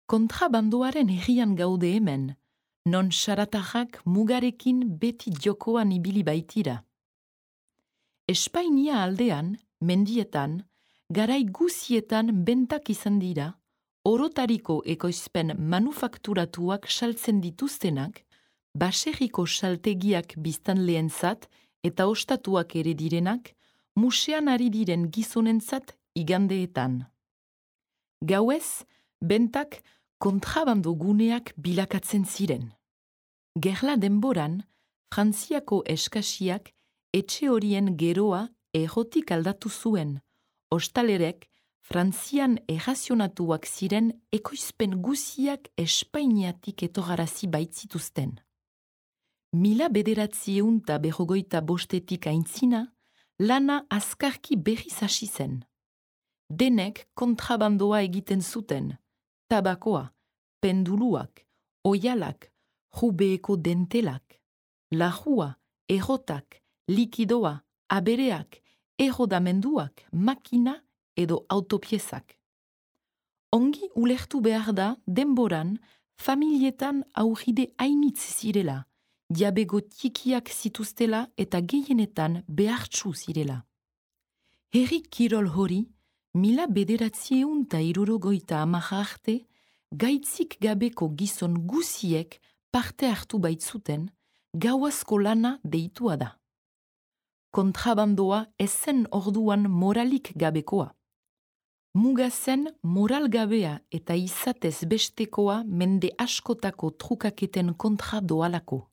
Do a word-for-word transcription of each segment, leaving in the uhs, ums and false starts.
Kontrabandoaren herrian gaude hemen, non saratajak mugarekin beti jokoan ibili baitira. Espainia aldean, mendietan, garai guzietan bentak izan dira, orotariko ekoizpen manufakturatuak saltzen dituztenak, baserriko saltegiak biztanleentzat eta ostatuak ere direnak, musean ari diren gizonentzat igandeetan. Gauez, bentak kontrabando guneak bilakatzen ziren. Gerla denboran, Frantziako eskasiak etxe horien geroa errotik aldatu zuen, ostalerek Frantzian errazionatuak ziren ekoizpen guziak Espainiatik etorarazi baitzituzten. Mila bederatziehun ta berrogoita bostetik aintzina, lana azkarki berriz hasi zen. Denek kontrabandoa egiten zuten, tabakoa, penduluak, oialak, jubeeko dentelak, lajua, errotak, likidoa, abereak, errodamenduak, makina edo autopiezak. Ongi ulertu behar da denboran familietan aurride hainitz zirela, jabego txikiak zituztela eta gehienetan behartsu zirela. Herri kirol hori, mila bederatzieun ta hirurogeita hamaika arte, gaitzik gabeko gizon guziek parte hartu baitzuten, gauazko lana deitua da. Kontrabandoa ezen orduan moralik gabekoa. Muga zen moral gabea eta izatez bestekoa mende askotako trukaketen kontra doalako.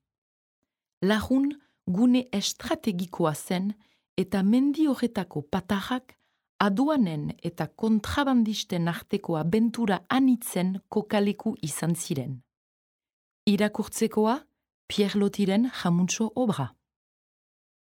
Lagun gune estrategikoa zen eta mendi horretako patajak aduanen eta kontrabandisten arteko abentura anitzen kokaleku izan ziren. Irakurtzekoa, Pierre Lotiren Jamuntxo obra.